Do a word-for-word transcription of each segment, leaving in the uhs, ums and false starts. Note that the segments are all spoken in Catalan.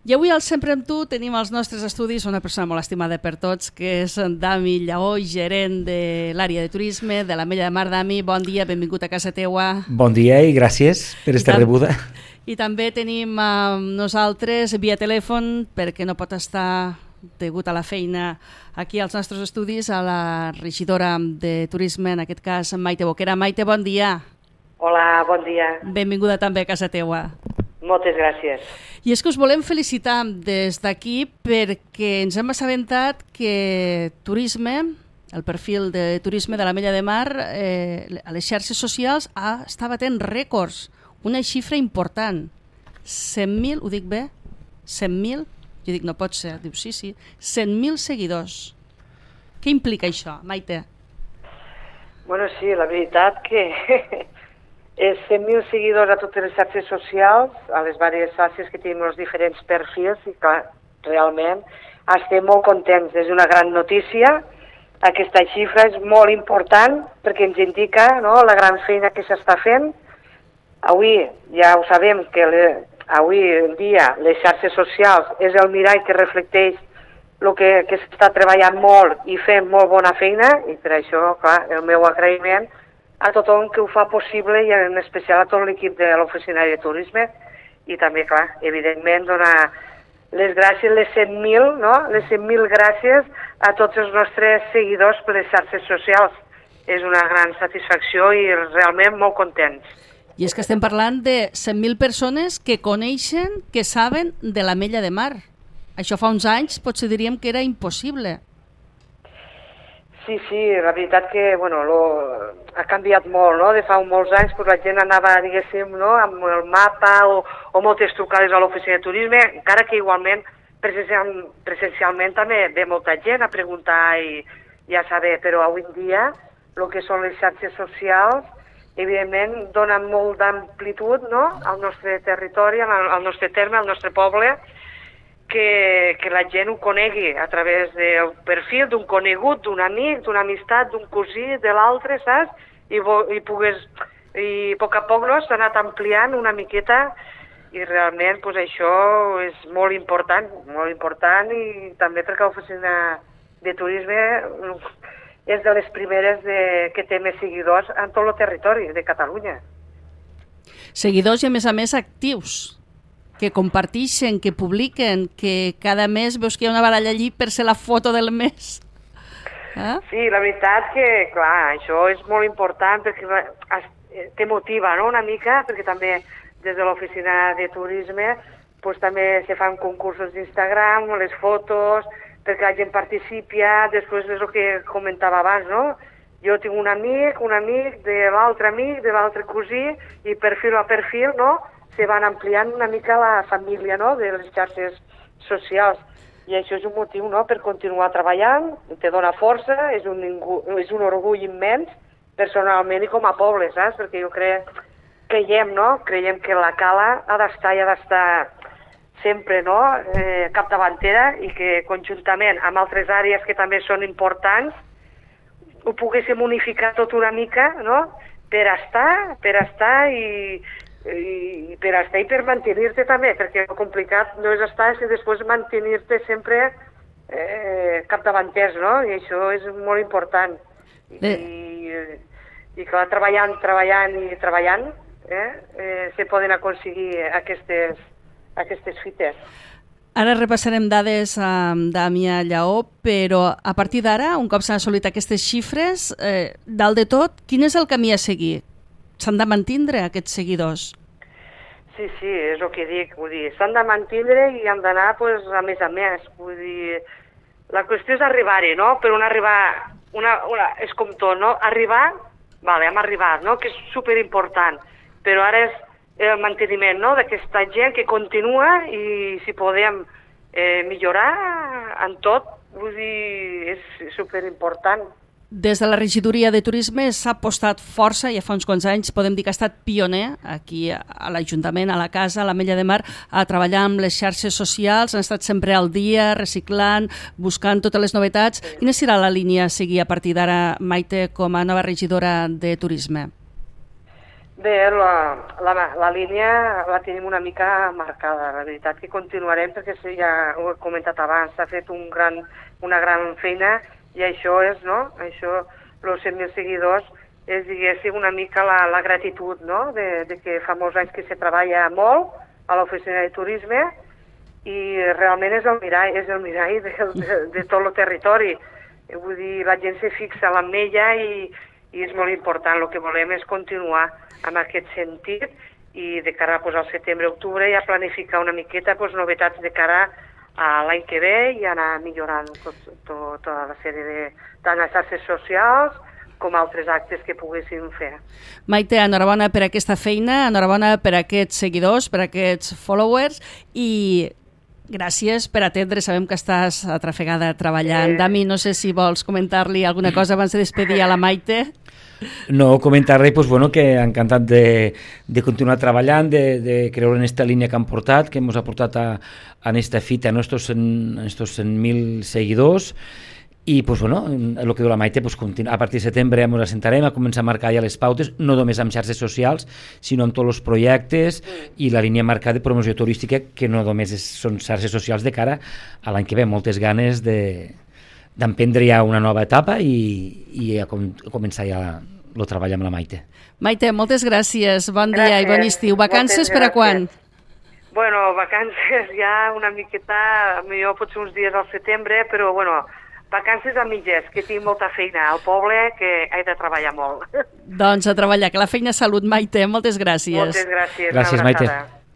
I avui al Sempre amb tu tenim als nostres estudis una persona molt estimada per tots, que és Dami Lleó, gerent de l'àrea de turisme de l'Ametlla de Mar. Dami, bon dia, benvingut a casa teua. Bon dia i gràcies per esta rebuda. I també tenim amb nosaltres via telèfon, perquè no pot estar degut a la feina aquí als nostres estudis, a la regidora de turisme, en aquest cas Maite Boquera. Maite, bon dia. Hola, bon dia. Benvinguda també a casa teua. Moltes gràcies. I és que us volem felicitar des d'aquí perquè ens hem assabentat que turisme, el perfil de turisme de l'Ametlla de Mar, eh, a les xarxes socials ah, està batent rècords, una xifra important. cent mil, ho dic bé? cent mil? Jo dic, no pot ser. Diu, sí, sí. cent mil seguidors. Què implica això, Maite? Bueno, sí, la veritat que és cent mil seguidors a totes les xarxes socials, a les diverses xarxes que tenim els diferents perfils, i clar, realment estem molt contents. És una gran notícia. Aquesta xifra és molt important perquè ens indica, no?, la gran feina que s'està fent. Avui ja ho sabem que le, avui en dia les xarxes socials és el mirall que reflecteix el que, que s'està treballant molt i fent molt bona feina, i per això, clar, el meu agraïment a tothom que ho fa possible i en especial a tot l'equip de l'Oficina de Turisme, i també, clar, evidentment donar les gràcies, les cent mil, no?, les cent mil gràcies a tots els nostres seguidors per les xarxes socials. És una gran satisfacció i realment molt contents. I és que estem parlant de cent mil persones que coneixen, que saben de l'Ametlla de Mar. Això fa uns anys potser diríem que era impossible. Sí, sí, la veritat que, bueno, lo, ha canviat molt, no?, de fa molts anys, pues la gent anava, diguéssim, no?, amb el mapa o, o moltes trucades a l'oficina de turisme, encara que igualment presencial, presencialment també ve molta gent a preguntar i, i a saber, però avui en dia el que són les xarxes socials, evidentment, donen molt d'amplitud, no?, al nostre territori, al, al nostre terme, al nostre poble, Que, que la gent ho conegui a través del perfil d'un conegut, d'un amic, d'una amistat, d'un cosí, de l'altre, saps? I, i, pogués, i a poc a poc no, s'ha anat ampliant una miqueta i realment pues, això és molt important, molt important, i també perquè l'Oficina de Turisme és de les primeres de, que té més seguidors en tot el territori de Catalunya. Seguidors i a més a més actius, que comparteixen, que publiquen, que cada mes veus que hi ha una baralla allí per ser la foto del mes. Eh? Sí, la veritat que, clar, això és molt important perquè te motiva, no?, una mica, perquè també des de l'Oficina de Turisme pues, també se fan concursos d'Instagram, les fotos, perquè la gent participi, després és el que comentava abans, no? Jo tinc un amic, un amic de l'altre amic, de l'altre cosí, i perfil a perfil, no?, se van ampliant una mica la família, no?, de les xarxes socials. I això és un motiu, no?, per continuar treballant, te dona força, és un, és un orgull immens, personalment i com a poble, saps? Perquè jo crec, creiem, no?, creiem que la Cala ha d'estar i ha d'estar sempre, no?, eh, capdavantera, i que conjuntament amb altres àrees que també són importants ho poguéssim unificar tot una mica, no?, per estar, per estar i i per estar i per mantenir-te també, perquè el complicat no és estar, sinó després mantenir-te sempre eh, capdavanters, no? I això és molt important. I, i, i clar, treballant, treballant i treballant eh, eh, se poden aconseguir aquestes, aquestes fites. Ara repassarem dades amb Damià Lleó, però a partir d'ara, un cop s'han assolit aquestes xifres, eh, dalt de tot, quin és el camí a seguir? S'han de mantindre aquests seguidors? Sí, sí, és el que dic, vull dir, s'han de mantindre i han d'anar, pues, a més a més, vull dir, la qüestió és arribar-hi, no?, però un arribar, una, una, és com tot, no?, arribar, vale, hem arribat, no?, que és superimportant, però ara és el manteniment, no?, d'aquesta gent que continua i si podem eh, millorar en tot, vull dir, és superimportant. Des de la regidoria de turisme s'ha apostat força, ja fa uns quants anys, podem dir que ha estat pioner aquí a l'Ajuntament, a la casa, a l'Ametlla de Mar, a treballar amb les xarxes socials, han estat sempre al dia, reciclant, buscant totes les novetats. Quina serà la línia a seguir a partir d'ara, Maite, com a nova regidora de turisme? Bé, la, la, la línia la tenim una mica marcada, la veritat que continuarem perquè ja ho he comentat abans, s'ha fet un gran, una gran feina i això és, no? Això, els cent mil seguidors, és, diguéssim, una mica la, la gratitud, no? De, de que fa molts anys que se treballa molt a l'oficina de turisme i realment és el mirall, és el mirall de, de, de tot el territori. Vull dir, la gent se fixa a l'Ametlla i, i és molt important. El que volem és continuar en aquest sentit i de cara pues, al setembre-octubre ja planificar una miqueta pues, novetats de cara a l'any que ve i anar millorant tot, tot, tota la sèrie de tant les xarxes socials com altres actes que poguéssim fer. Maite, enhorabona per aquesta feina, enhorabona per aquests seguidors, per aquests followers i gràcies per atendre. Sabem que estàs atrafegada treballant. Eh... Dami, no sé si vols comentar-li alguna cosa abans de despedir a la Maite. No, comentar-li pues, bueno, que encantat de, de continuar treballant, de, de creure en esta línia que han portat, que ens ha portat a, a esta fita, a estos cent mil seguidors. I pues, bueno, el que diu la Maite, pues, a partir de setembre ens assentarem a començar a marcar ja les pautes, no només amb xarxes socials, sinó amb tots els projectes i la línia marcada de promoció turística, que no només és, són xarxes socials de cara a l'any que ve. Moltes ganes de d'emprendre ja una nova etapa i, i a, com, a començar ja el treball amb la Maite. Maite, moltes gràcies, bon gràcies. Dia i bon estiu. Vacances per a quan? Bueno, vacances ja una miqueta, millor potser uns dies al setembre, però bueno, vacances a mitges, que tinc molta feina al poble, que he de treballar molt. Doncs a treballar, que la feina salut, Maite, moltes gràcies. Moltes gràcies. Gràcies, Maite.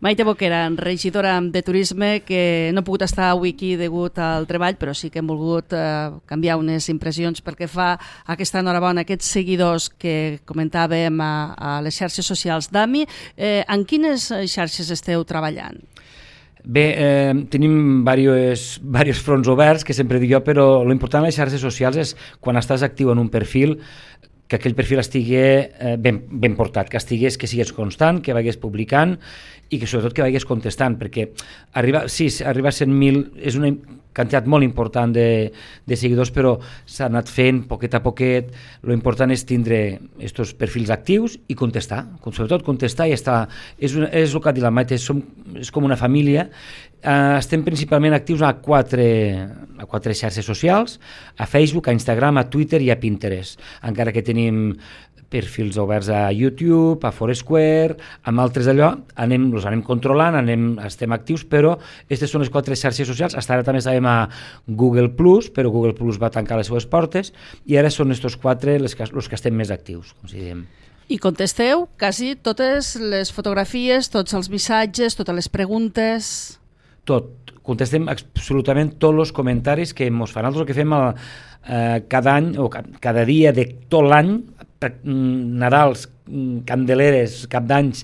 Maite Boquera, regidora de Turisme, que no ha pogut estar avui aquí degut al treball, però sí que hem volgut eh, canviar unes impressions perquè fa aquesta enhorabona, aquests seguidors que comentàvem a, a les xarxes socials. Dami, eh, en quines xarxes esteu treballant? Bé, eh, tenim diversos, diversos fronts oberts, que sempre dic jo, però l'important a les xarxes socials és quan estàs actiu en un perfil, que aquell perfil estigui eh, ben, ben portat, que estigués, que sigués constant, que vagis publicant i que sobretot que vagis contestant, perquè arribar, sí, arribar a cent mil és una quantitat molt important de, de seguidors, però s'ha anat fent poquet a poquet. Lo important és tindre estos perfils actius i contestar, sobretot contestar i estar. És, una, és el que ha dit la Maite, som, és com una família. Uh, estem principalment actius a quatre, a quatre xarxes socials, a Facebook, a Instagram, a Twitter i a Pinterest, encara que tenim perfils oberts a YouTube, a Foursquare, amb altres d'allò, anem, els anem controlant, anem, estem actius, però aquestes són les quatre xarxes socials. Fins ara també estàvem a Google plus, però Google plus va tancar les seves portes, i ara són aquests quatre els que, els que estem més actius, com si diem. I contesteu quasi totes les fotografies, tots els missatges, totes les preguntes... Tot. Contestem absolutament tots els comentaris que ens fan. Nosaltres el que fem el, eh, cada any, o cada dia de tot l'any, Nadals, Candeleres, Cap d'Anys,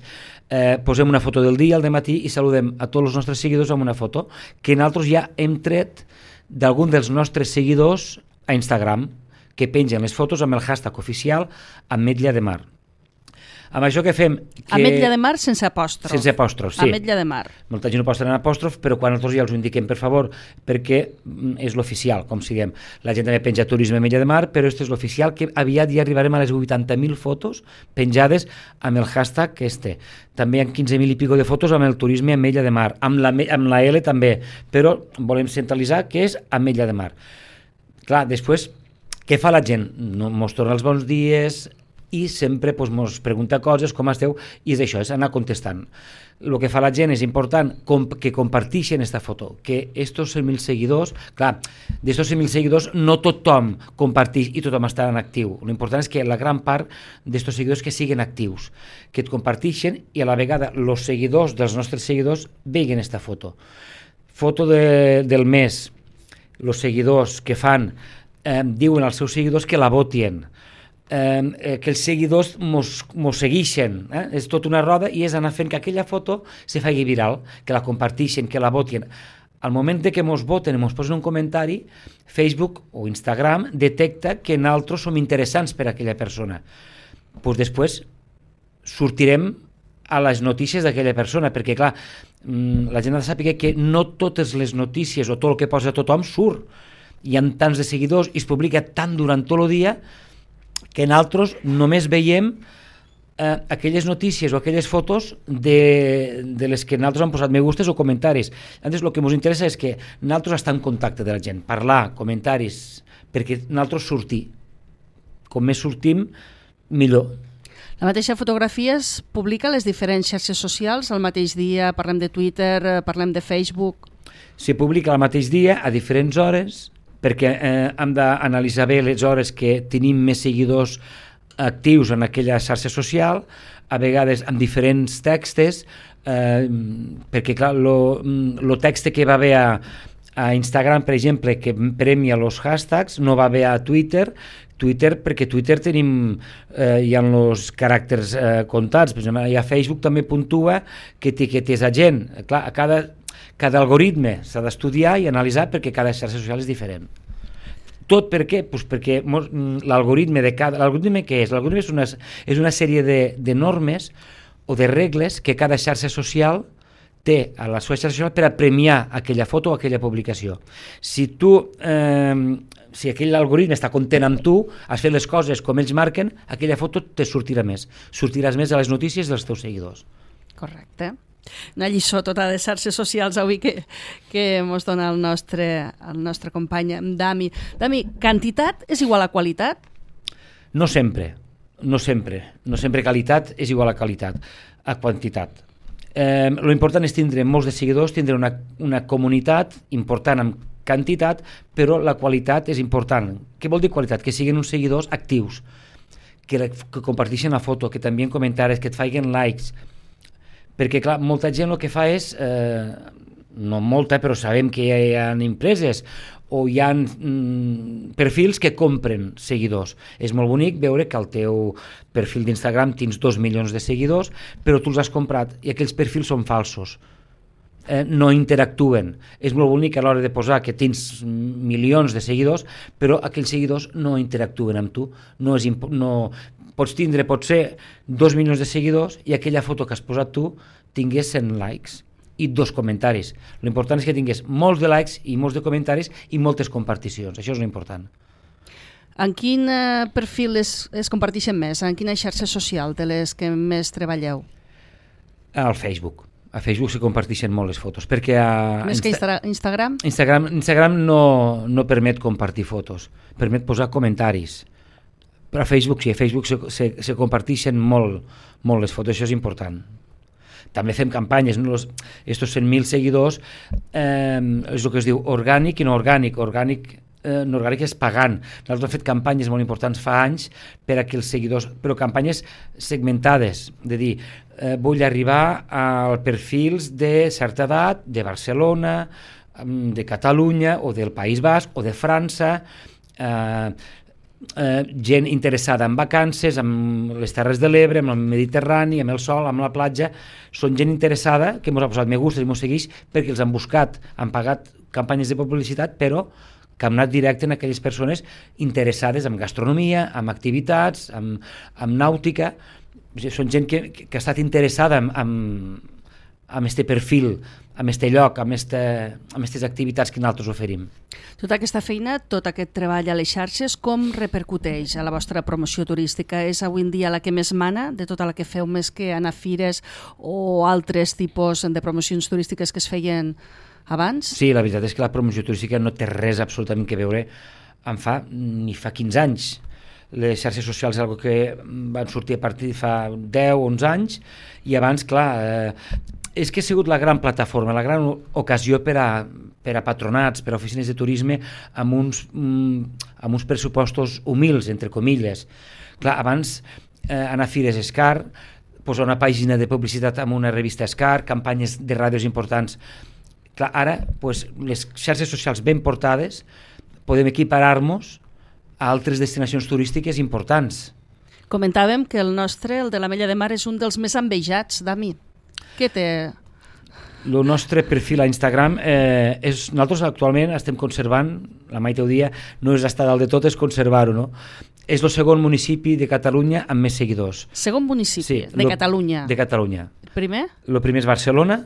eh, posem una foto del dia al dematí i saludem a tots els nostres seguidors amb una foto que nosaltres ja hem tret d'algun dels nostres seguidors a Instagram, que pengen les fotos amb el hashtag oficial Ametlla de Mar. Amb això que fem... Que... Ametlla de Mar sense apòstrof. Sense apòstrof, sí. Ametlla de Mar. Molta gent ho posa en apòstrof, però quan nosaltres ja els ho indiquem, per favor, perquè és l'oficial, com si diem. La gent també penja Turisme Ametlla de Mar, però aquest és l'oficial, que aviat ja arribarem a les vuitanta mil fotos penjades amb el hashtag que este. També hi ha quinze mil i pico de fotos amb el Turisme Ametlla de Mar, amb la, amb la L també, però volem centralitzar que és Ametlla de Mar. Clar, després, què fa la gent? No, mos torna els bons dies... i sempre pues, ens pregunta coses, com esteu, i és això, és anar contestant. El que fa la gent és important com, que comparteixen aquesta foto, que estos cent mil seguidors, clar, d'estos cent mil seguidors no tothom comparteix i tothom està en actiu. L'important és que la gran part d'estos seguidors que siguin actius, que et comparteixen i a la vegada els seguidors dels nostres seguidors veguen aquesta foto. Foto de, del mes, els seguidors que fan, eh, diuen als seus seguidors que la votin, Eh, que els seguidors mos, mos segueixen, eh? És tot una roda i és anar fent que aquella foto se faci viral, que la comparteixen, que la votin. Al moment de que mos voten i mos posen un comentari, Facebook o Instagram detecta que nosaltres som interessants per a aquella persona. Pues després sortirem a les notícies d'aquella persona, perquè clar, la gent ha de saber que no totes les notícies o tot el que posa tothom surt. Hi ha tants de seguidors i es publica tant durant tot el dia que nosaltres només veiem eh, aquelles notícies o aquelles fotos de, de les que nosaltres hem posat me gustes o comentaris. Llavors, el que ens interessa és que nosaltres estem en contacte de la gent, parlar, comentaris, perquè nosaltres sortir. Com més sortim, millor. La mateixa fotografia es publica a les diferents xarxes socials el mateix dia, parlem de Twitter, parlem de Facebook... Se publica el mateix dia, a diferents hores, perquè eh, hem d'analitzar bé les hores que tenim més seguidors actius en aquella xarxa social, a vegades amb diferents textos, eh, perquè clar, el text que va haver a, a Instagram, per exemple, que premia els hashtags, no va haver a Twitter, Twitter, perquè Twitter tenim, eh, hi ha els caràcters eh, comptats, per exemple, hi ha Facebook també puntua que etiquetes a gent. Clar, a cada, cada algoritme s'ha d'estudiar i analitzar perquè cada xarxa social és diferent. Tot per què? Pues perquè l'algoritme de cada... L'algoritme què és? L'algoritme és una, és una sèrie de, de normes o de regles que cada xarxa social té a la seva xarxa social per a premiar aquella foto o aquella publicació. Si tu... Eh, si aquell algoritme està content amb tu, has fet les coses com ells marquen, aquella foto te sortirà més. Sortiràs més a les notícies dels teus seguidors. Correcte. Una lliçó tota de xarxes socials avui que, que ens dona el nostre, el nostre company Dami. Dami, quantitat és igual a qualitat? No sempre, no sempre. No sempre qualitat és igual a qualitat, a quantitat. Eh, lo important és tindre molts de seguidors, tindre una, una comunitat important amb quantitat, però la qualitat és important. Què vol dir qualitat? Que siguin uns seguidors actius, que, que comparteixen la foto, que t'envien comentaris, que et facin likes, perquè clar, molta gent el que fa és, eh, no molta, però sabem que hi ha empreses o hi ha mm, perfils que compren seguidors. És molt bonic veure que al teu perfil d'Instagram tens dos milions de seguidors, però tu els has comprat i aquells perfils són falsos. Eh, no interactuen. És molt bonic a l'hora de posar que tens milions de seguidors, però aquells seguidors no interactuen amb tu. No és imp- no... Pots tindre, potser, dos milions de seguidors i aquella foto que has posat tu tingués cent likes i dos comentaris. L'important és que tingués molts de likes i molts de comentaris i moltes comparticions. Això és l'important. En quin eh, perfil es, es comparteixen més? En quina xarxa social de les que més treballeu? Al Facebook. A Facebook se comparteixen molt les fotos, perquè a Més que Insta- Instagram? Instagram, Instagram no, no permet compartir fotos, permet posar comentaris. Però a Facebook sí, a Facebook se, se, se comparteixen molt, molt les fotos, això és important. També fem campanyes, no? Los, estos cent mil seguidors eh, és el que es diu orgànic i no orgànic. Orgànic, eh, no orgànic és pagant. Nosaltres hem fet campanyes molt importants fa anys per a que els seguidors, però campanyes segmentades, de dir, eh, vull arribar als perfils de certa edat, de Barcelona, de Catalunya o del País Basc o de França, eh, Eh, gent interessada en vacances, amb les Terres de l'Ebre, amb el Mediterrani, amb el sol, amb la platja. Són gent interessada que ens ha posat me gustes i ens segueix perquè els han buscat, han pagat campanyes de publicitat, però que han anat directe en aquelles persones interessades en gastronomia, en activitats, en, en nàutica. Són gent que, que ha estat interessada en, en, en este perfil, en este lloc, en aquestes activitats que nosaltres oferim. Tota aquesta feina, tot aquest treball a les xarxes, com repercuteix a la vostra promoció turística? És avui en dia la que més mana de tota la que feu, més que anar a fires o altres tipus de promocions turístiques que es feien abans? Sí, la veritat és que la promoció turística no té res absolutament que veure amb fa ni fa quinze anys. Les xarxes socials és una cosa que van sortir a partir de fa deu o onze anys i abans, clar, eh, és que ha sigut la gran plataforma, la gran ocasió per a, per a patronats, per a oficines de turisme amb uns, amb uns pressupostos humils, entre comilles. Clar, abans eh, anar a fires és car, posar una pàgina de publicitat amb una revista és car, campanyes de ràdios importants. Clar, ara, pues, les xarxes socials ben portades podem equiparar-nos a altres destinacions turístiques importants. Comentàvem que el nostre, el de l'Ametlla de Mar, és un dels més envejats, Dami. Què té? El nostre perfil a Instagram, eh, és, nosaltres actualment estem conservant, la Maite ho dia, no és estar dalt de tot, és conservar-ho, no? És el segon municipi de Catalunya amb més seguidors. Segon municipi sí, de lo, Catalunya? De Catalunya. Primer? El primer és Barcelona,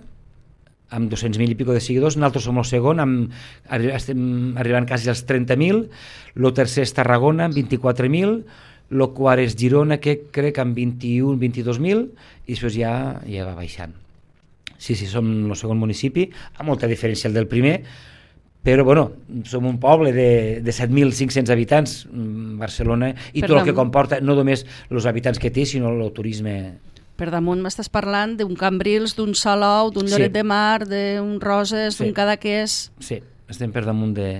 amb dos-cents mil i pico de seguidors, nosaltres som el segon, amb, estem arribant quasi als trenta mil, el tercer és Tarragona, amb vint-i-quatre mil, el quart és Girona, que crec amb vint-i-un vint-i-dos mil, i després ja, ja va baixant. Sí, sí, som el segon municipi, amb molta diferència el del primer, però bueno, som un poble de, de set mil cinc-cents habitants, Barcelona, i per tot el que comporta, no només els habitants que té, sinó el turisme. Per damunt m'estàs parlant d'un Cambrils, d'un Salou, d'un Lloret sí. de Mar, d'un Roses, sí. d'un Cadaqués... Sí, estem per damunt de,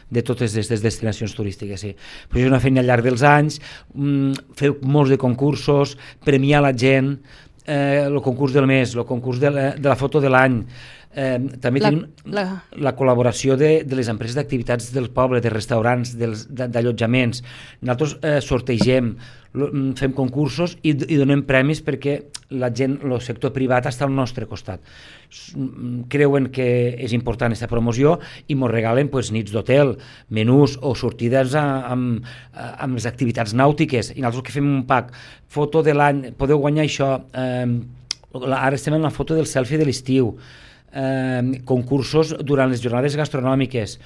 de totes aquestes destinacions turístiques, sí. Però és una feina al llarg dels anys, mmm, fer molts de concursos, premiar la gent, eh, el concurs del mes, el concurs de la, de la foto de l'any, eh, també la, tenim la, la col·laboració de, de les empreses d'activitats del poble, de restaurants, d'allotjaments. Nosaltres eh, sortegem, fem concursos i, i donem premis perquè la gent, el sector privat està al nostre costat. Creuen que és important aquesta promoció i ens regalen pues, nits d'hotel, menús o sortides a, amb, amb les activitats nàutiques. I nosaltres que fem un pack, foto de l'any, podeu guanyar això, eh, ara estem en la foto del selfie de l'estiu, eh, concursos durant les jornades gastronòmiques,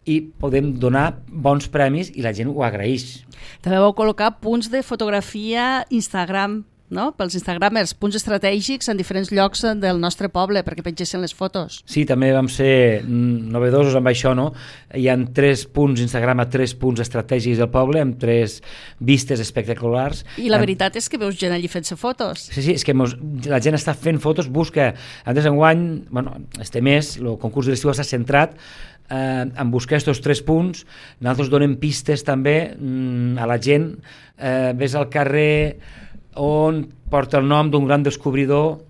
i podem donar bons premis i la gent ho agraeix. També vau col·locar punts de fotografia Instagram, no? Pels instagramers, punts estratègics en diferents llocs del nostre poble perquè pengessin les fotos. Sí, també vam ser novedosos amb això, no? Hi ha tres punts Instagram a tres punts estratègics del poble amb tres vistes espectaculars. I la veritat és que veus gent allí fent-se fotos. Sí, sí, és que mos, la gent està fent fotos, busca. Antes enguany, bueno, este mes, el concurs de l'estiu està centrat eh, en buscar aquests tres punts. Nosaltres donem pistes també mm, a la gent. Eh, ves al carrer on porta el nom d'un gran descobridor,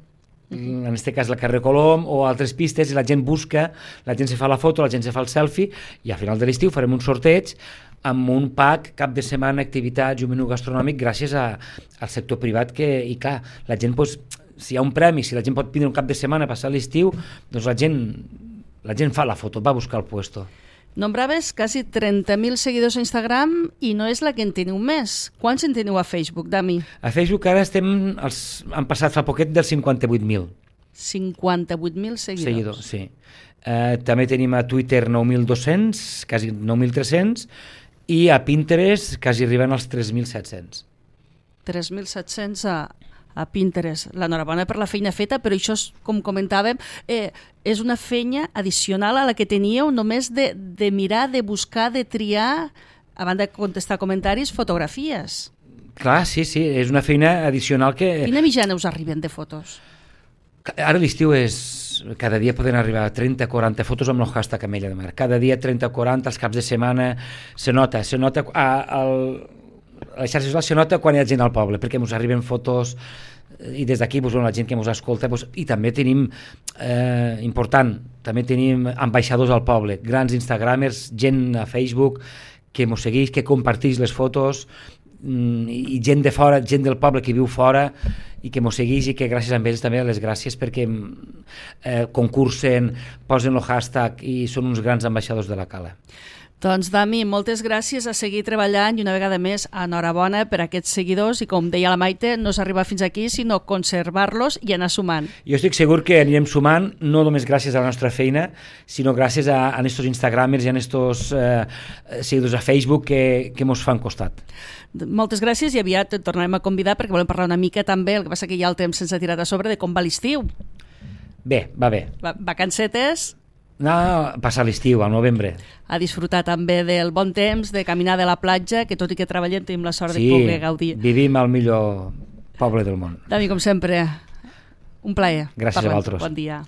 en aquest cas el carrer Colom, o altres pistes, i la gent busca, la gent se fa la foto, la gent se fa el selfie, i al final de l'estiu farem un sorteig amb un pack, cap de setmana, activitats i un menú gastronòmic gràcies a, al sector privat, que, i clar, la gent, pues, si hi ha un premi, si la gent pot vindre un cap de setmana a passar l'estiu, doncs la gent, la gent fa la foto, va buscar el puesto. Nombraves quasi trenta mil seguidors a Instagram i no és la que en teniu més. Quants en teniu a Facebook, Dami? A Facebook ara estem, els, han passat fa poquet dels cinquanta-vuit mil. cinquanta-vuit mil seguidors. Seguidors, sí. Eh, també tenim a Twitter nou mil dos-cents, quasi nou mil tres-cents, i a Pinterest quasi arriben als tres mil set-cents. tres mil set-cents a, a Pinterest. L'enhorabona per la feina feta, però això, és, com comentàvem, eh, és una feina addicional a la que teníeu només de, de mirar, de buscar, de triar, a banda de contestar comentaris, fotografies. Clar, sí, sí, és una feina addicional que... Quina mitjana us arriben de fotos? Ara l'estiu és... Cada dia poden arribar a trenta o quaranta fotos amb el hashtag Ametlla de Mar. Cada dia trenta o quaranta, els caps de setmana, se nota, se nota... A, a, a les xarxes socials se nota quan hi ha gent al poble, perquè ens arriben fotos i des d'aquí, doncs, la gent que ens escolta, doncs, i també tenim, eh, important, també tenim ambaixadors al poble, grans instagramers, gent a Facebook que ens segueix, que comparteix les fotos, i gent de fora, gent del poble que viu fora i que ens segueix, i que gràcies a ells també les gràcies perquè eh, concursen, posen el hashtag i són uns grans ambaixadors de la cala. Doncs, Dami, moltes gràcies, a seguir treballant i una vegada més enhorabona per aquests seguidors i, com deia la Maite, no s'arriba fins aquí, sinó conservar-los i anar sumant. Jo estic segur que anirem sumant, no només gràcies a la nostra feina, sinó gràcies a, a estos instagramers i a estos eh, seguidors a Facebook que, que mos fan costat. Moltes gràcies i aviat et tornarem a convidar perquè volem parlar una mica també, el que passa que ja el temps se'ns ha tirat a sobre, de com va l'estiu. Bé, va bé. Va, vacancetes? No, passar l'estiu, al novembre. A disfrutar també del bon temps, de caminar de la platja, que tot i que treballem tenim la sort sí, de poder gaudir. Sí, vivim al millor poble del món. Dami, com sempre, un plaer. Gràcies Parlem. a vosaltres. Bon dia.